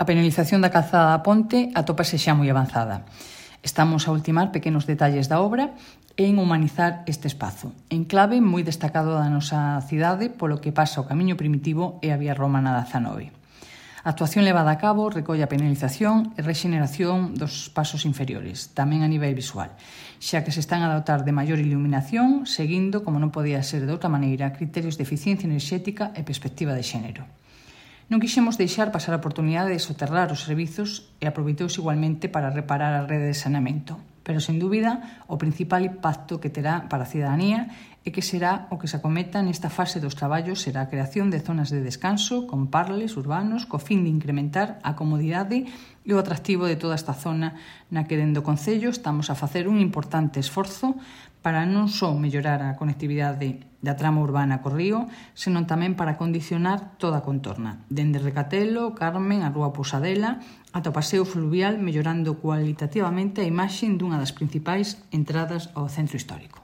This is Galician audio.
A penalización da calzada da Ponte atópase xa moi avanzada. Estamos a ultimar pequenos detalles da obra e en humanizar este espazo, enclave moi destacado da nosa cidade polo que pasa o camiño primitivo e a vía romana da 19. A actuación levada a cabo recolle a penalización e rexeneración dos pasos inferiores, tamén a nivel visual, xa que se están a dotar de maior iluminación, seguindo, como non podía ser de outra maneira, criterios de eficiencia enerxética e perspectiva de xénero. Non quixemos deixar pasar a oportunidade de soterrar os servizos e aproveitouse igualmente para reparar a rede de saneamento, pero, sen dúbida, o principal impacto que terá para a cidadanía e que será o que se acometa nesta fase dos traballos será a creación de zonas de descanso con parles urbanos co fin de incrementar a comodidade e o atractivo de toda esta zona na que dende o Concello estamos a facer un importante esforzo para non só mellorar a conectividade da trama urbana co río, senón tamén para condicionar toda a contorna, dende Recatelo, Carmen, a Rúa Pousadela, ata o paseo fluvial, mellorando cualitativamente a imaxe dunha das principais entradas ao centro histórico.